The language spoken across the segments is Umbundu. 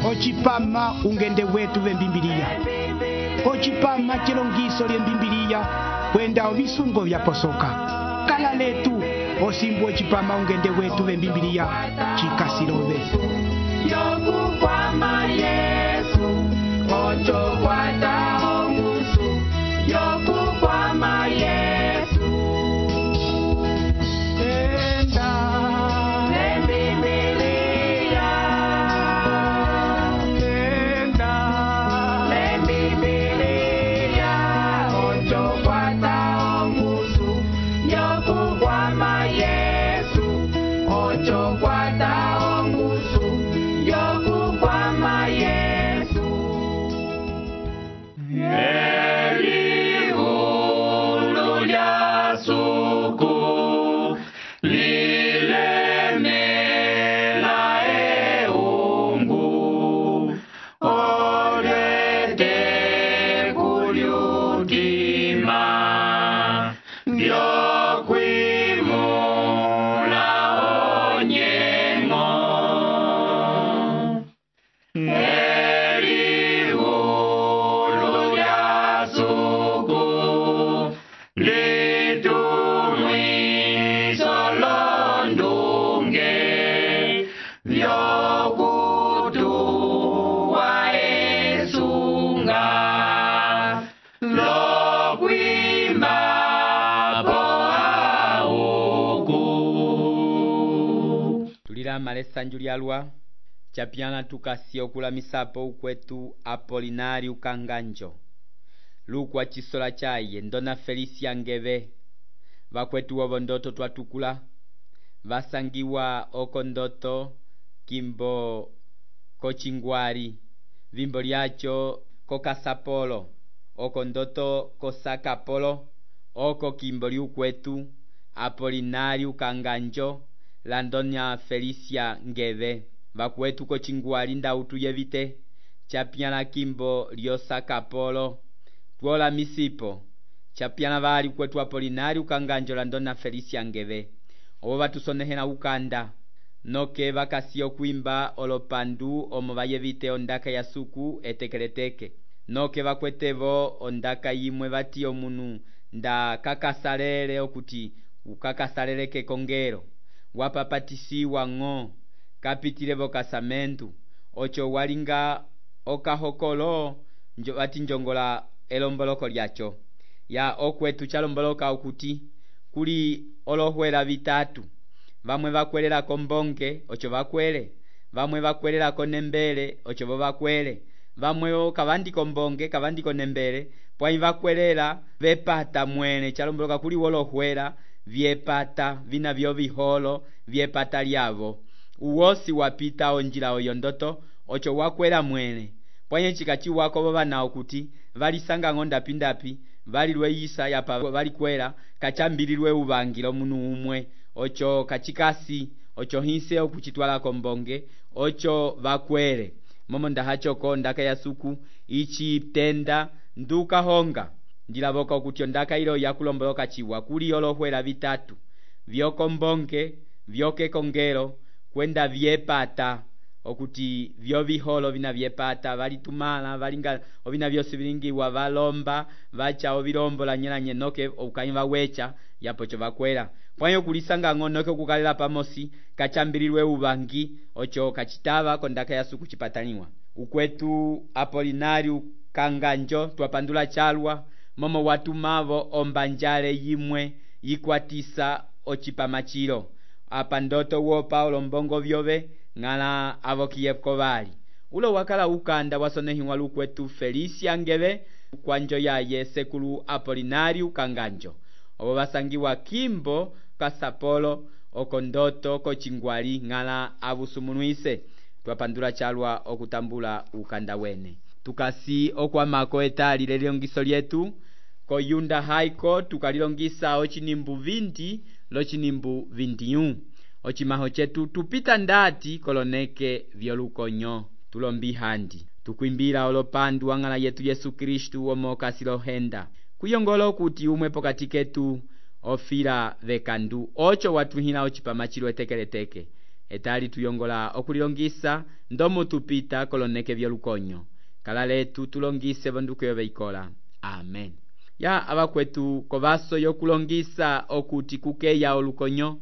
ocipama ungende wetu vembimbiliya, ocipama chilongiso lyembimbiliya kwenda ovisungo vyaposoka. Kala letu osimbu ocipama ungende wetu vembimbiliya chikasilove. Yokukwama Yesu, ocho kwata ongusu. Yokukwama Yesu, Enda lembimbiliya, enda lembimbiliya, ocho kwata ongusu. Yokukwama Yesu, ocho kwata ongusu. Yokukwama Yesu. Elihulu lya suku lilemela eungu, olete kulyutima vyokwimula onyengo. Elihulu lya suku litumwiso londunge vyokutuwa esunga lokwimbapo auku. Tulilama lesanju lyalwa chapyana tukasi okulamisapo ukwetu Apolinario Kanganjo, lukwa chisola chaye ndona Felicia Ngeve, vakwetu wovondoto twatukula vasangiwa okondoto kimbo kochingwari, vimbo lyacho kokasapolo, okondoto kosakapolo, oko kimbo liukwetu Apolinario Kanganjo landonya Felicia Ngeve. Vakwetu kochingwari ndautu yevite chapyana kimbo lyosakapolo twola misipo chapyana vali kwetu Apolinario Kanganjo landona Felicia Ngeve. Obo vatusonehela ukanda noke vakasiyo kwimba olopandu omo vayevite ondaka ya suku etekeleteke, noke vakwetevo ondaka yimwe vati omunu nda kakasalele okuti ukakasaleleke kongero wapapatisiwa ng'o kapitilevo kasamentu ocho walinga okahokolo vati njongola elomboloko lyacho ya okwetu chalomboloka okuti kuli olohwela vitatu, vamwe vakwelela kombonge ocho vakwele, vamwe vakwelela konembele ocho vo vakwele, vamwe kavandi kombonge kavandi konembele pwai vakwelela vepata mwene chalomboloka kuli wolohwela vyepata vina vyo viholo vyepata lyavo. Uwosi wapita onjila oyondoto ocho wakwela mwene pwanye chikachi wako vana okuti valisanga ngonda pindapi valilweyisa yapa valikwela kachambililwe uvangilo munu umwe ocho kachikasi ocho hinse okuchitwala kombonge ocho vakwele momo ndahachoko ndaka ya suku ichi tenda nduka honga ndilavoka okuti ondaka ilo yakulomboloka chiwa kuli olohwela vitatu vyokombonge vyokekongelo kwenda vyepata okuti vyo viholo vina vyepata valitumala valinga ovina vyosi vilingiwa valomba vacha ovilombo la nyelanye noke ukaiva wecha yapocho vakwela pwanyo kulisanga ng'o noke kukalela pamosi kachambililwe uvangi ocho kachitava kondaka ya suku chipataniwa. Ukwetu Apolinario Kanganjo twapandula chalwa momo watumavo ombanjale yimwe yikwatisa ochipamachilo apa ndoto wo Paulo mbongo vyove ngala avokiyeko vali ulo wakala ukanda wasonehiwa lukwetu Felicia Ngeve kwanjo yaye sekulu Apolinario Kanganjo obo basangiwa kimbo kasapolo okondoto kochingwali ngala abusumunuise twapandula chalwa okutambula ukanda wene tukasi okwamako etali leliongiso lyetu koyunda haiko tukalilongisa ochinimbu 20 lochinimbu 21 ochimaho chetu tupita ndati koloneke vyolukonyo tulombi handi tukwimbira olopandu wangala yetu Yesu Kristu omoka silohenda kuyongolo kuti umwe pokati ketu ofira vekandu ocho watuhina ochipamachilo etekeleteke etali tuyongola okulilongisa ndomo tupita koloneke vyolukonyo. Kala letu tulongise vonduko yoveikola. Amen. Ya abakwetu kovaso yokulongisa okuti kukeya olukonyo,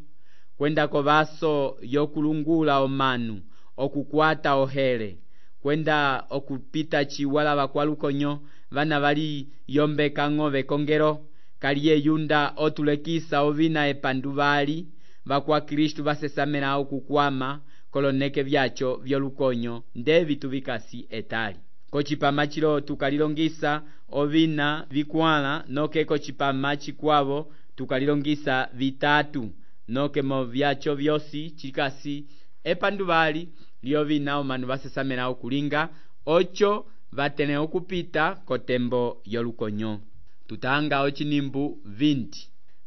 kwenda kovaso yokulungula omanu, okukwata ohere, kwenda okupita chiwala bakwa lukonyo, vana bali yombeka ngove kongero, kaliye yunda otulekisa ovina epanduvali, bakwa Kristu basesamela okukwama, koloneke vyacho vyolukonyo, ndevi tubikasi etali. Kochipama chilo tukalilongisa ovina vikwala, noke kochipama chikwavo tukalilongisa vitatu, noke mo vyacho vyosi chikasi epanduvali lyovina omanu basesamela okulinga, ocho vatene okupita kotembo yolukonyo. Tutanga ochinimbu 20.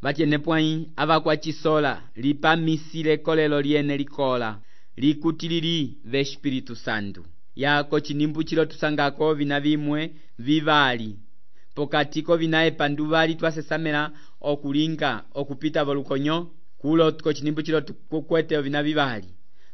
Vachene pwai abakwa chisola lipamisile kolelo liene likola likutilili ve Espiritu Santo. Ya kochinimbu chilo tusangako vina vimwe vivali, pokatiko vina epanduvali twasesamela okulinga okupita volukonyo, kulo kochinimbu chilo tukukwete vina vivali.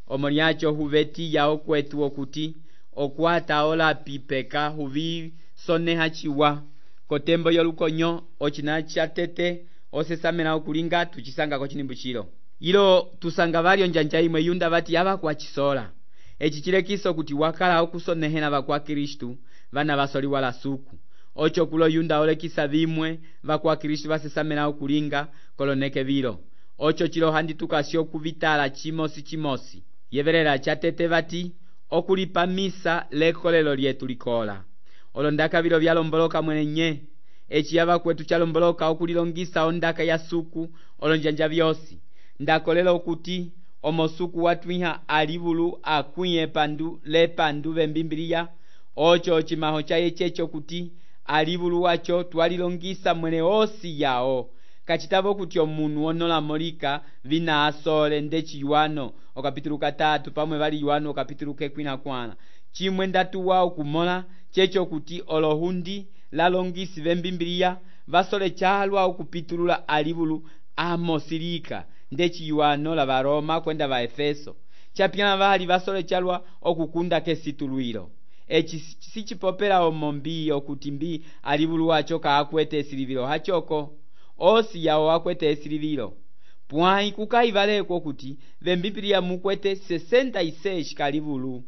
Omoliacho huveti ya okwetu okuti okwata ola pipeka huvi soneha chiwa kotembo yolukonyo ochina chatete osesamela okulinga tuchisanga kochinimbu chilo. Ilo tusanga valio njanja imwe yunda vati yaba kwa chisola. Echi chilekiso kuti wakala okusonehena bakwa Kristu vana basoli wala suku. Ocho kulo yunda olekisa vimwe bakwa Kristu basesamela okulinga koloneke vilo. Ocho chilo handi tukasio kuvitala chimosi. Yeverera chatete vati okulipamisa lekolelo lyetu likola. Olondaka vilo vyalomboloka mwenye. Echi yaba kwetu chalomboloka okulilongisa ondaka ya suku olonjanja vyosi. Ndakolelo okuti omosuku watwiha alivulu akwiye pandu lepandu vembimbilia. Ocho chimaho chaye checho kuti alivulu wacho twalilongisa mwene osi yao. Kachitavo kuti omunu onola molika vina asole ndechi Yohano okapitulu 3 pamwe vali Yohano okapitulu 14. Chimwe ndatu wao kumola checho kuti olohundi lalongisi vembimbilia vasole chalwa okupitulula alivulu amosilika ndechi Yohano la Varoma kwenda va Efeso. Chapyana vali vasole chalwa okukunda kesituluilo. Echi sichipopera omombi okutimbi alivulu wacho kaakwete esilivilo hachoko. Osi yao akwete esilivilo. Pwai kukaivaleko kuti vembimbilia mukwete 66 kalivulu.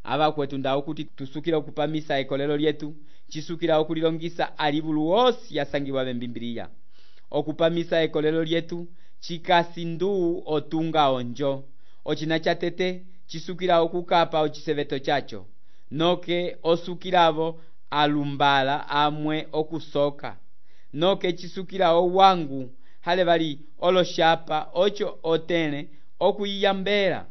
Aba kwetu ndao kuti tusukira okupamisa ekolelo lyetu, chisukira okulilongisa alivulu osi yasangiwa vembimbilia. Okupamisa ekolelo lyetu chikasindu otunga onjo. Ochina chatete chisukira okukapa ochiseveto chacho. Noke osukiravo alumbala amwe okusoka. Noke chisukira owangu hale bali oloshapa ocho otene okuyiyambera.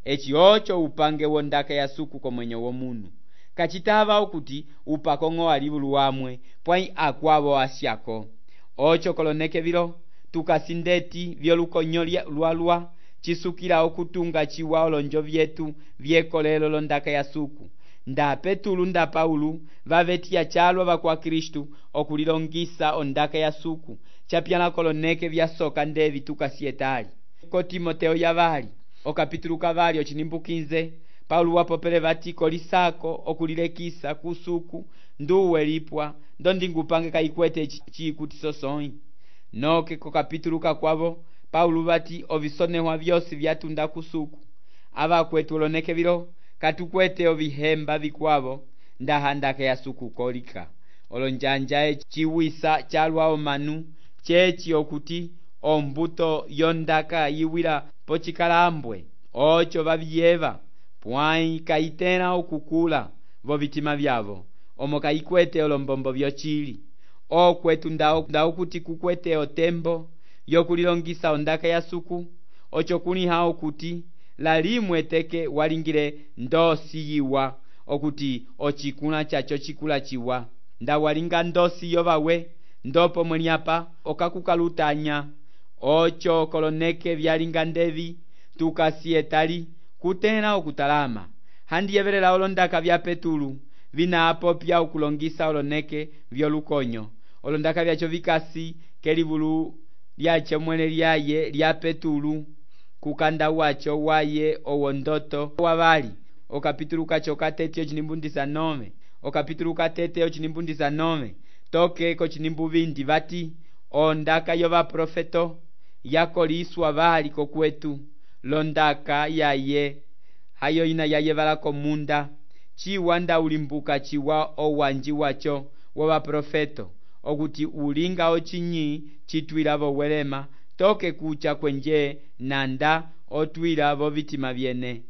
Echi ocho upange wondaka ya suku komwenyo womunu. Kachitava okuti upakongo alivulu wamwe pwai akwavo asyako. Ocho koloneke vilo tukasindeti vyolukonyo lwalwa chisukira okutunga chiwa olonjo vyetu vyekolelo londaka ya suku. Nda Petulu nda Paulu vavetia chalwa bakwa Kristu okulilongisa ondaka ya suku. Chapyana koloneke vyasoka ndevi tukasietali. Ko Timoteo yavali okapitulu kavali ochinimbu 15 Paulu wapopele vati kolisako okulilekisa kusuku nduwe lipwa ndondingupange kaikwete chikuti sosoi. Noke ko kapitulu kakwavo Paulu vati ovisonehwa vyosi vyatunda kusuku. Ava kwetu oloneke vilo katukwete ovihemba vikwavo ndahandaka ya suku kolika. Olonjanja chiwisa chalwa omanu chechi okuti ombuto yondaka yiwila pochikalambwe. Ocho vaviyeva pwai kaitena okukula vo vitima vyavo. Omo kaikwete olombombo vyochili. Okwetu ndao kuti kukwete otembo yokulilongisa ondaka ya suku. Ocho kuniha okuti lalimwe teke walingile ndosi yiwa okuti ochikuna chacho chikula chiwa. Nda walinga ndosi yovawe ndopo mweniapa okakukalutanya. Ocho koloneke vyalinga ndevi tukasietali kutena okutalama. Handi yeverela olondaka vya Petulu vina apopya okulongisa oloneke vyolukonyo. Olondaka vyacho vikasi kelivulu lyache mwene lyaye lya Petulu kukanda wacho waye owondoto wavali okapitulu kacho katete ochinimbu 19 okapitulu katete ochinimbu 19 toke kochinimbu 20 vati ondaka yovaprofeto yakoliswa vali kokwetu londaka yaye hayo ina yaye vala komunda chiwa nda ulimbuka chiwa owanji wacho wovaprofeto okuti ulinga ochinyi chitwila vowelema toke kucha kwenje nanda otwila vovitima vyene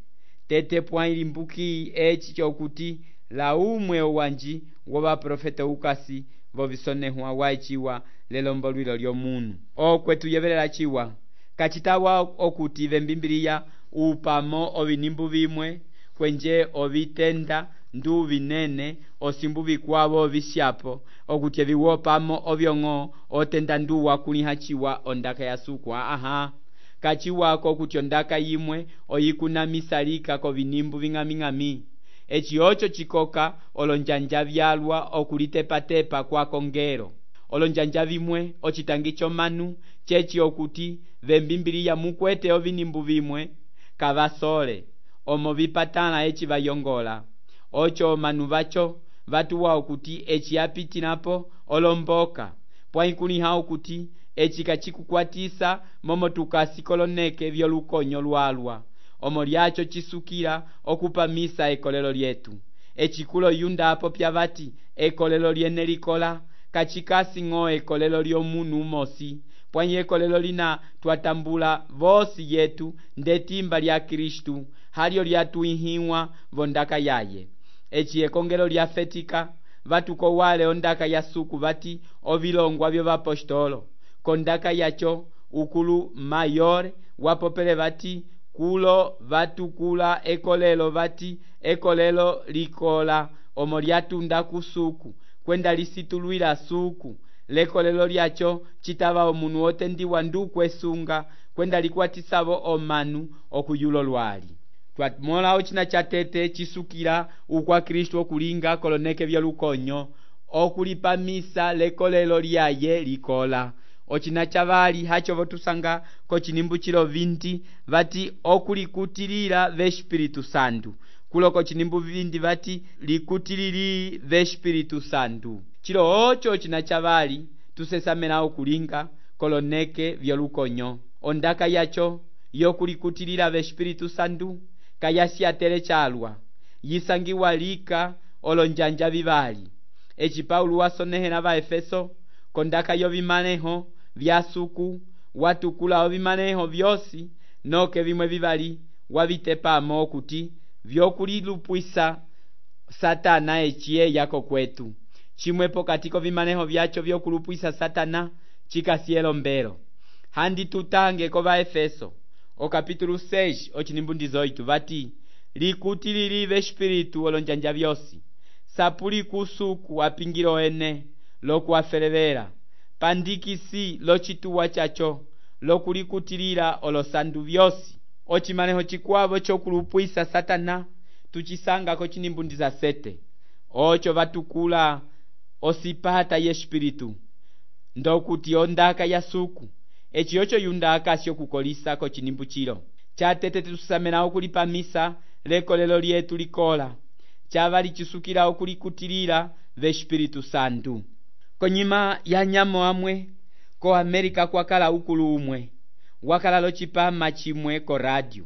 tete pwa ilimbuki eci chokuti la umwe owanji wovaprofeto ukasi vovisonehwa waichiwa lelombolwilo lyomunu okwetu yevelela chiwa kachitawa okuti vembimbiliya upamo ovinimbu vimwe kwenje ovitenda ndu vinene osimbu vikwavo ovishapo okuti eviwopamo ovyong'o otenda ndu wakuliha chiwa ondaka yasukwa aha kachiwako okuti ondaka yimwe oyikunamisalika kovinimbu ving'aming'ami eci ocho chikoka olonjanja vyalwa okulitepatepa kwa kongelo olonjanja vimwe ocitangi chomanu checi okuti vembimbiliya mukwete ovinimbu vimwe kavasole omo vipatala eci vayongola ocho omanu vacho vatuwa okuti eci yapitinapo olomboka pwaikuliha okuti eci kachikukwatisa momo tukasikoloneke vyolukonyo lwalwa omo lyacho chisukila okupamisa ekolelo lyetu ecikulo yundapo pyavati ekolelo lyene likola kachikasi ng'o ekolelo lyomunu umosi pwanyi ekolelo lina twatambula vosi yetu ndetimba lya Kristu halyo lyatuihiwa vondaka yaye eci ekongelo lyafetika vatuko wale ondaka yasuku vati ovilongwa vyovapostolo kondaka yacho ukulu mayor wapopele vati kulo vatukula ekolelo vati ekolelo likola omo lyatunda kusuku kwenda lisitulwila suku lekolelo lyacho citava omunu otendiwa ndu kwesunga kwenda likwatisavo omanu okuyulo lwali twamola ocina catete cisukila ukwa Kristu okulinga koloneke vyolukonyo okulipamisa lekolelo lyaye likola ocina cavali hacho votusanga kochinimbu chilo 20 vati okulikutilila vespiritu santu kulo kochinimbu 20 vati likutilili vespiritu santu chilo ocho cina chavali tusesamela okulinga koloneke vyolukonyo ondaka yacho yokulikutilila vespiritu santu kayasiatele chalwa yisangiwa lika olonjanja vivali eci Paulo wasonehela va Efeso kondaka yovimaneho vyasuku watukula ovimaneho vyosi noke vimwe vivali wavitepamo okuti vyokulilupwisa satana eciye yako kwetu chimwepo katiko vimaneho vyacho vyokulupwisa satana chikasielo mbelo handi tutange kova Efeso okapitulu 6 ochinimbu 18 vati likutilili vespiritu olonjanja vyosi sapuli kusuku apingilo ene lokuafelevela pandikisi locituwa chacho lokulikutilila olosandu vyosi ocimaneho chikwavo chokulupwisa satana tucisanga kochinimbu 17 ocho vatukula osipata yespiritu ndokuti ondaka yasuku eci ocho yundaka syokukolisa kochinimbu chilo catete tusamela okulipamisa lekolelo lyetu likola chava lichisukila okulikutilila vespiritu santu konyima ya nyamo amwe ko Amerika kwakala ukulu umwe wakala locipama chimwe ko radio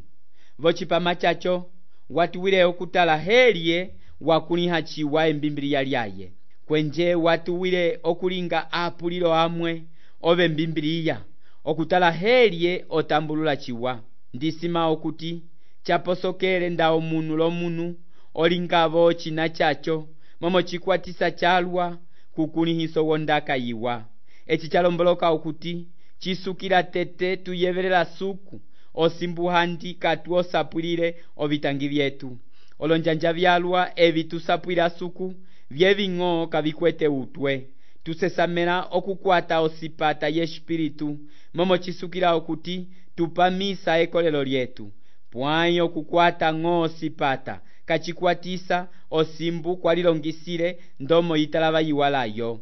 vocipama chacho watuwile okutala helye wakuliha chiwa embimbiliya lyaye kwenje watuwile okulinga apulilo amwe ove mbimbiliya okutala helye otambulula chiwa ndisima okuti chaposokele nda omunu lomunu olingavo china chacho momo chikwatisa chalwa kukulihiso wondaka yiwa eci chalomboloka okuti chisukila tete tuyevelela suku osimbuhandi katu osapwilile ovitangi vyetu olonjanja vyalwa evi tusapwila suku vyeving'o kavikwete utwe tusesamela okukwata osipata yespiritu momo chisukila okuti tupamisa ekolelo lyetu pwayo okukwata ng'o osipata kachikwatisa osimbu kwalilongisile ndomo yitalava yiwalayo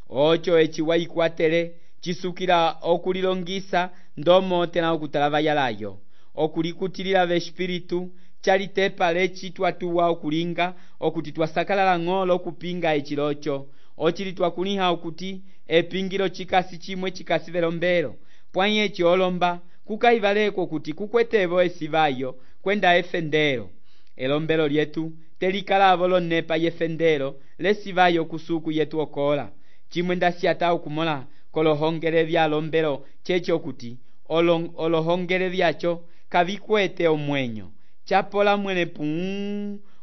ocho eci wayikwatele chisukila okulilongisa ndomo tena okutalava yalayo okulikutilila v'espiritu calitepa leci twatuwa okulinga okuti twasakalala ng'olo okupinga eciloco ocili twakuliha okuti epingilo cikasi cimwe cikasi velombelo pwayi eci olomba kukaivaleko kuti kukwetevo esivayo kwenda efendelo elombelo lyetu telikalavo lonepa yefendelo lesivayo kusuku yetu okola cimwe ndasiyata okumola kolohongele vya lombelo ceci okuti olohongele vyaco kavikwete omwenyo capola mwene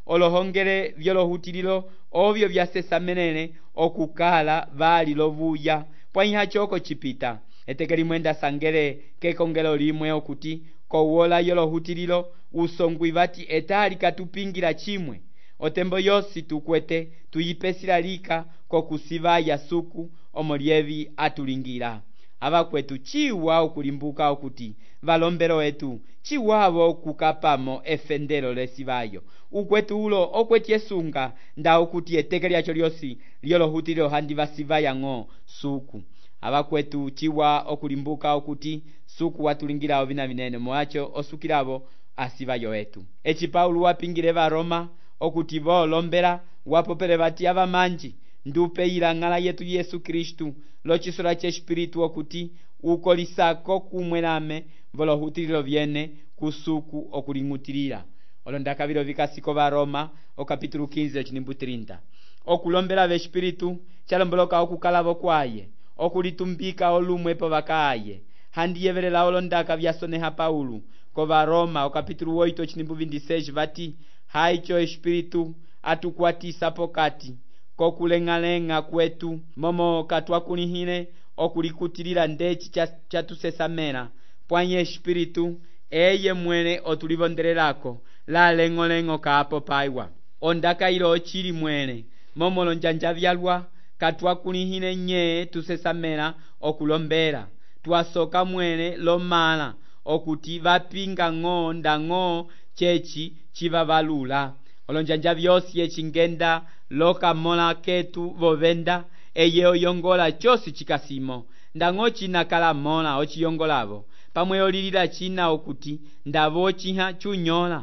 olohongele vyolohutililo ovyo vyasesamenene okukala vali lovuya pwayiha coko cipita eteke limwe ndasangele kekongelo limwe okuti kowola yolohutililo usongwi vati etali katupingila cimwe otembo yosi tukwete tuyipesila lika kokusivaya suku omolyevi atulingila avakwetu ciwa okulimbuka okuti valombelo etu ciwavo kukapamo efendelo lesivayo ukwetu ulo okwetyesunga nda okuti eteke lyaco lyosi lyolohutililo handi vasivaya ng'o suku avakwetu ciwa okulimbuka okuti suku watulingilavo vina vinene moaco osukilavo asivayo etu eci Paulo wapingile varoma okuti voolombela wapopele vati avamanji ndupeyila ng'ala yetu Yesu Kristu locisola c'espiritu okuti ukolisako kumwelame volohutulilo vyene kusuku okuling'utilila olondakavilo vikasiko varoma okapitulu 15 cinimbu 30 okulombela v'espiritu calomboloka okukalavo kwaye okulitumbika olumwepo vakaaye handiyevelela olondaka vyasoneha Paulo kovaroma okapitulu 8 cinimbu 26 vati haico espiritu atukwatisa pokati kokuleng'aleng'a kwetu momo katwakulihile okulikutilila ndeci catusesamela pwayi espiritu eye mwene otulivondelelako la leng'oleng'o kaapo paiwa ondakailo ocili mwene momo lonjanja vyalwa katwakulihile nye tusesamela okulombela twasoka mwene lomala okuti vapinga ng'o ndang'o ceci civavalula olonjanja vyosi ecingenda lokamola ketu vovenda eye oyongola cosi cikasimo ndang'o cinakala mola ociyongolavo pamwe olilila cina okuti ndavo ciha cunyola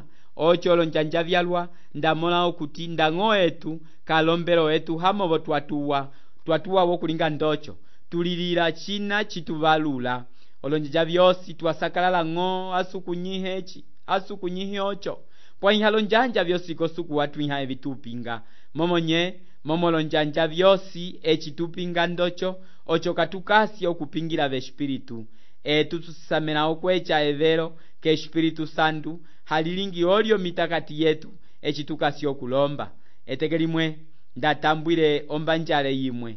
oco olonjanja vyalwa ndamola okuti ndang'o etu kalombelo etu hamovo twatuwa wokulinga ndoco tulilila cina cituvalula olonjanja vyosi twasakalala ng'o asukunyihe oco pwayiha lonjanja vyosi kosuku watwiha evitupinga momo lonjanja vyosi ecitupinga ndoco oco katukasi okupingila v'espiritu etu tusisamela okweca evelo k'espiritu santu halilingi olyo mitakati yetu ecitukasi okulomba eteke limwe ndatambwile ombanjale yimwe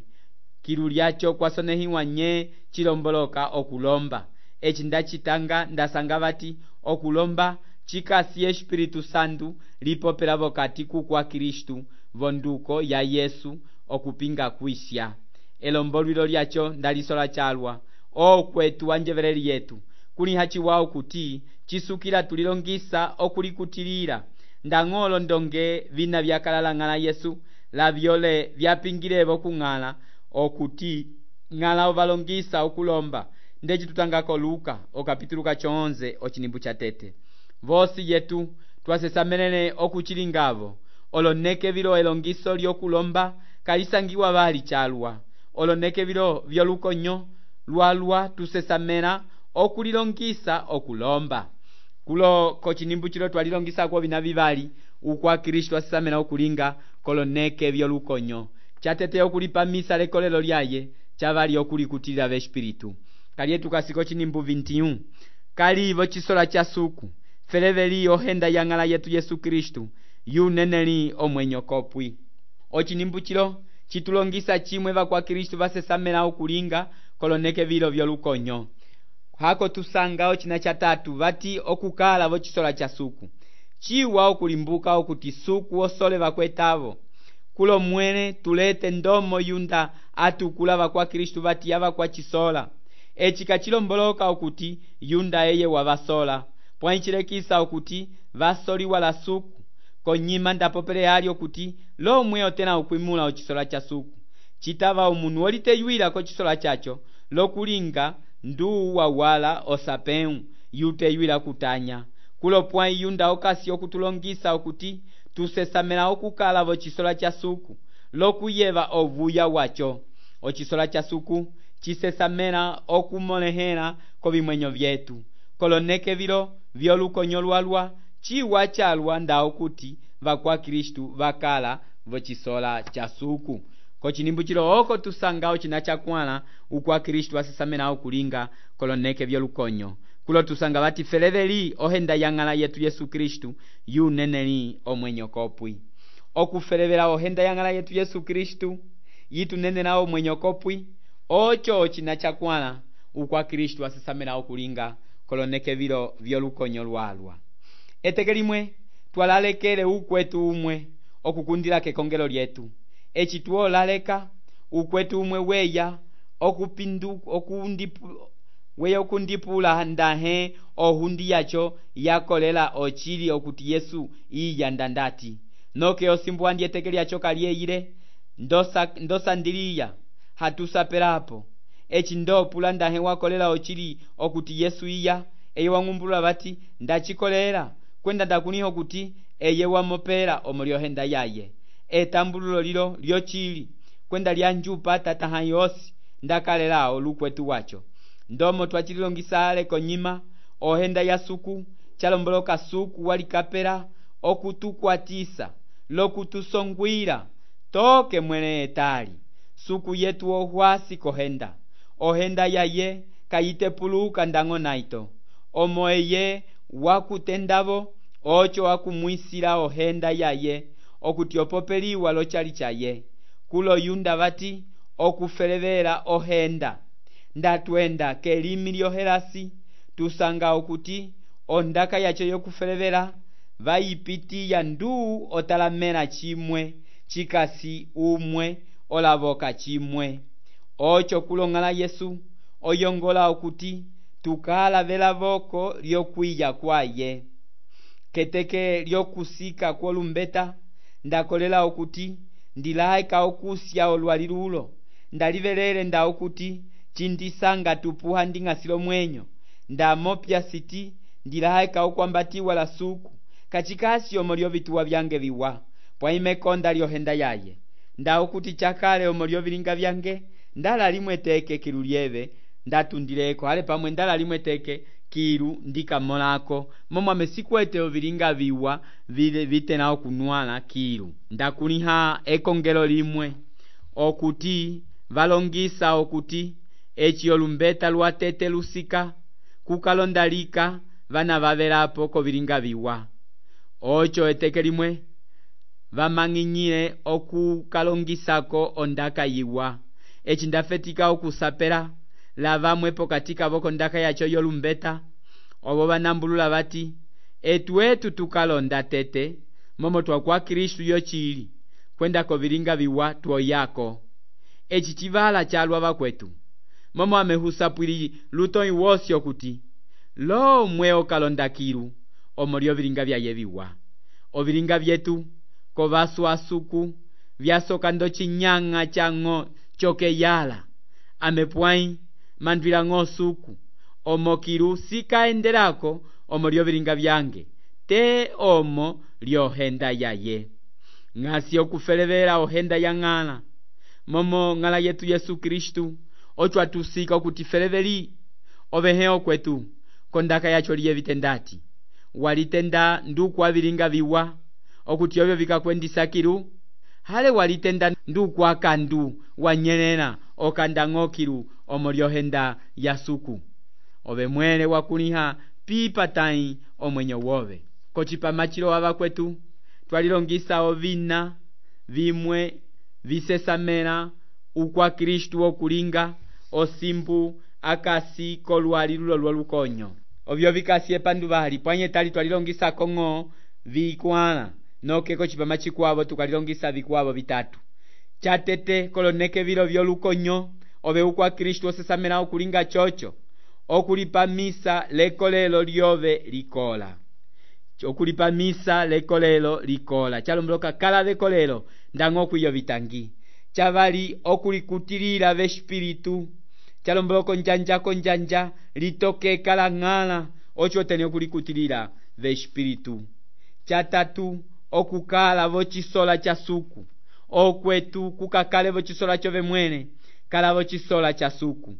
kilu lyaco kwasonehiwa nye cilomboloka okulomba eci ndacitanga ndasanga vati okulomba cikasi espiritu santu lipopela vokati kukwa Kristu vonduko ya Yesu okupinga kwisya elombolwilo lyaco ndalisola calwa okwetu wanjeveleli yetu kuliha ciwawo kuti cisukila tulilongisa okulikutilila ndang'olo ndonge vina vyakalala ng'ala Yesu lavyole vyapingilevo kung'ala okuti ng'ala ovalongisa okulomba ndeci tutangako Luka okapitulu 11 ocinimbu ca tete vosi yetu twasesamelene okucilingavo oloneke vilo elongiso lyokulomba kalisangiwa vali calwa oloneke vilo vyolukonyo lwalwa tusesamela okulilongisa okulomba kulo kocinimbu cilo twalilongisako vina vivali ukwa Kristu asesamela okulinga koloneke vyolukonyo catete okulipamisa lekolelo lyaye cavali okulikutilila v'espiritu kalyetu kasiko cinimbu 21 kalivo cisola ca suku feleveli ohenda ya ng'ala yetu Yesu Kristu yuneneli omwenyo kopwi ocinimbu cilo citulongisa cimwe vakwa Kristu vasesamela okulinga koloneke vilo vyolukonyo hako tusanga ocina ca tatu vati okukala vocisola ca suku ciwa okulimbuka okuti suku osole vakwetavo kulo mwene tulete ndomo yunda atukula vakwa Kristu vati yavakwa cisola eci kacilomboloka okuti yunda eye wavasola pwancilekisa okuti vasoliwa la suku konyima ndapopele ali okuti lomwe otena okwimula ocisola ca suku citava umunu oliteyuwila kocisola caco lokulinga nduu wawala osapeu yuteyuwila kutanya kulopwãyi yunda okasi okutulongisa okuti tusesamela okukala v'ocisola ca suku lokuyeva ovuya waco. Ocisola ca suku cisesamela okumolehela kovimwenyo vyetu koloneke vilo vyolukonyo lwalwa ciwa calwa nda okuti vakwa Kristu vakala v'ocisola ca suku. Kocinimbu cilo oko tusanga ocina cakwãla ukwa Kristu asesamela okulinga koloneke vyolukonyo kulo tusanga vatifeleveli ohenda yang'ala yetu Yesu Kristu yuneneli omwenyo kopwi. Okufelevela ohenda yang'ala yetu Yesu Kristu yitunenela omwenyo kopwi oco ocina cakwãla ukwa Kristu asesamela okulinga koloneke vilo vyolukonyo lwalwa. Eteke limwe twalalekele ukwetu umwe okukundila kekongelo lyetu eci tuolaleka ukwetu umwe weya okundipula ndahe ohundi yaco yakolela ocili okuti Yesu iyanda ndati noke osimbu andi eteke lyaco kaliyeyile ndosandiliya hatusapelapo eci ndopula ndahe wakolela ocili okuti Yesu iya eye wang'umbulula vati ndacikolela kwenda ndakuniho kuti eye wamopela omolyohenda yaye etambululo lilo lyocili kwenda lyanjupa tataha yosi ndakalelao lukwetu waco ndomo twacililongisale konyima ohenda ya suku calomboloka suku walikapela okutukwatisa lokutusongwila toke mwele etali suku yetu ohwasi kohenda ohenda yaye kayitepuluka ndang'o naito omo eye wakutendavo oco wakumwisila ohenda yaye okuti opopeliwa locali caye kulo yunda vati okufelevela ohenda ndatwenda kelimi lyohelasi tusanga okuti ondaka yaco yokufelevela vayipitiya nduu otalamela cimwe cikasi umwe olavoka cimwe oco kulong'ala Yesu oyongola okuti tukalavela voko lyokwiya kwaye. Keteke lyokusika kwolumbeta ndakolela okuti ndilaeka okusya olwalilulo ndalivelele nda okuti cindisanga tupuha nding'asilo mwenyo ndamopya siti ndilaeka okwambatiwa la suku kacikasi omo lyovituwa vyange viwa pwaimekonda lyohenda yaye nda okuti cakale omo lyovilinga vyange ndala limwe teke kilu lyeve ndatundileko ale pamwe ndala limwe teke kilu ndikamolako momwame sikwete ovilinga viwa vitena okunwala kilu ndakuliha ekongelo limwe okuti valongisa okuti eci olumbeta lwatete lusika kukalondalika vana vavelapo kovilinga viwa oco eteke limwe vamang'inyile okukalongisako ondaka yiwa eci ndafetika okusapela la vamwe pokati kavo kondaka yaco yolumbeta ovo vanambulula vati etu tukalonda tete momo twakwa Kristu yocili kwenda kovilinga viwa twoyako eci civala calwa vakwetu momo amehusapwili lutonyi wosi okuti lo mwe okalonda kilu omo lyovilinga vyaye viwa ovilinga vyetu kovaswa suku vyasoka ndocinyang'a cang'o cokeyala amepwai mandwila ng'o suku omo kilu sikaendelako omo lyovilinga vyange te omo lyohenda yaye ng'asi okufelevela ohenda ya ng'ala momo ng'ala yetu Yesu Kristu oco atusika okutifeleveli ovehe okwetu kondaka yaco liye vitendati walitenda nduku avilinga viwa okuti ovyo vikakwendisa kilu hale walitenda nduku akandu wanyelela okanda ng'o kilu omo lyohenda ya suku ove mwele wakuliha pipatai omwenyo wove kocipamachilo wava kwetu twalilongisa ovina vimwe visesamela ukwa Kristu okulinga osimbu akasi kolwalilulo lwolukonyo ovyo vikasi epanduvali pwanye tali twalilongisa kong'o vikwala noke kocipama cikwavo tukalilongisa vikwavo vitatu catete koloneke vilo vyolukonyo ove ukwa Kristu osesamela okulinga coco okulipamisa lekolelo lyove likola okulipamisa lekolelo likola calomboloka kala lekolelo ndang'o kwiyo vitangi chavali okulikutilila vespiritu calomboloko njanja litoke kala ng'ala ocho tene okulikutilila vespiritu. Chatatu, okukala vochisola cha suku. Okwetu kukakale vochisola chove mwene, kala vochisola cha suku.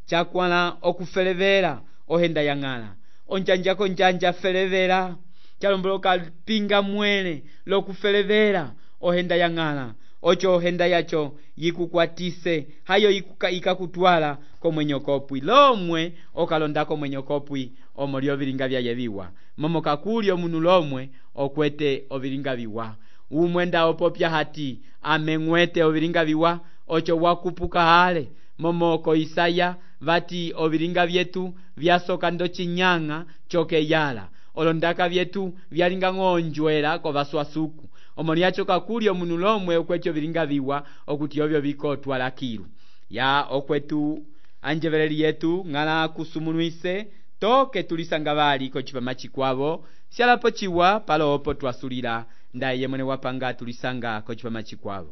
Chakwala okufelevera ohenda yang'ala. Onjanja felevera. Chalomboloka pinga mwene lokufelevera ohenda yang'ala. Ocho ohenda yacho yikukwatise, hayo ikakutwala komwenye kopwi. Lomwe okalonda komwenye kopwi omoli ovilinga vya yeviwa. Momo kakuli omunu lomwe okwete ovilinga viwa. Umwenda opopya hati amengwete ovilinga viwa, ocho wakupuka hale. Momo ko Isaya vati ovilinga vyetu vyasoka ndo chinyanga choke yala. Olondaka vyetu vyalinga ngonjwela ko vaswasuku. Omoni yacho kakuli omunu lomwe okwecho vilinga viwa okuti ovyo vikotwa lakilu. Ya okwetu anjeveleri yetu ngala kusumunuise toke tulisanga bali ko chipama chikwavo. Sialapo chiwa palo opo twasulila ndaye mwene wapanga tulisanga ko chipama chikwavo.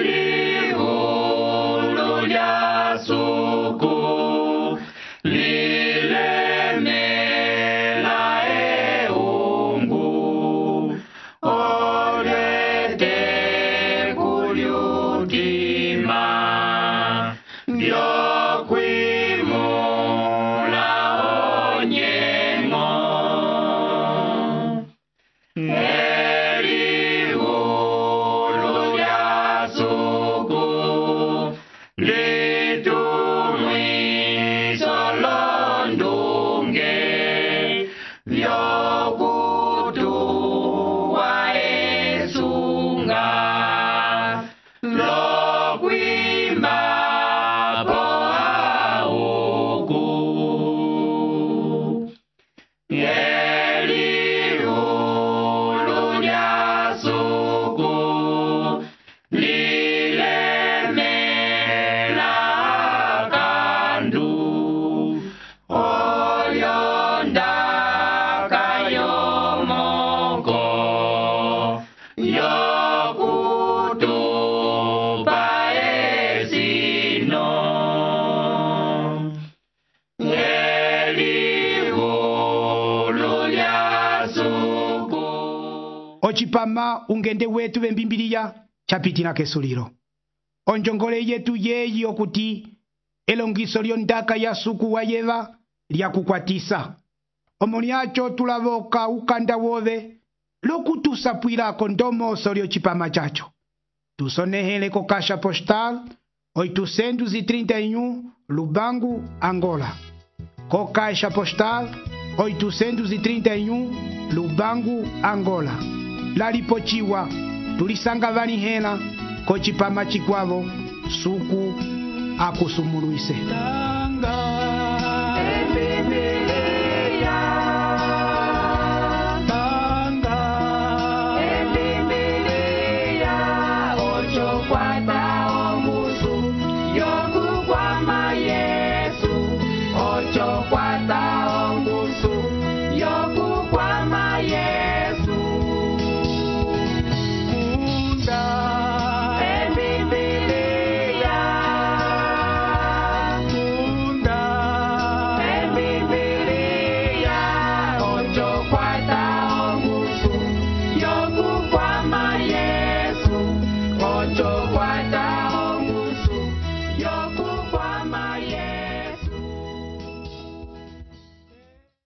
Elihulu lya suku lilemela eungu olete kulyutima vyokwimula onyengo. Elihulu lya suku litumwiso londunge vyokutuwa esunga lokwima po auku. Elihulu lya suku lilemela kandu olyonda kayomoko yokutupa esino. Elihulu lya suku. Ochipama ungende wetu vembimbiliya chapitila kesulilo. Onjongole yetu yeyi okuti elongiso lyondaka ya suku wa yeva lyakukwatisa. Omoni acho tulavoka ukanda wove lokutusapwilako ndomoso lyochipama chacho. Tusonehele ko Caixa Postal 831 Lubangu, Angola. Ko Caixa Postal 831 Lubangu, Angola. Lalipochiwa tulisanga vanihela ko chipama chikwavo suku akusumuluise. Yokukwama Yesu, ocho kwa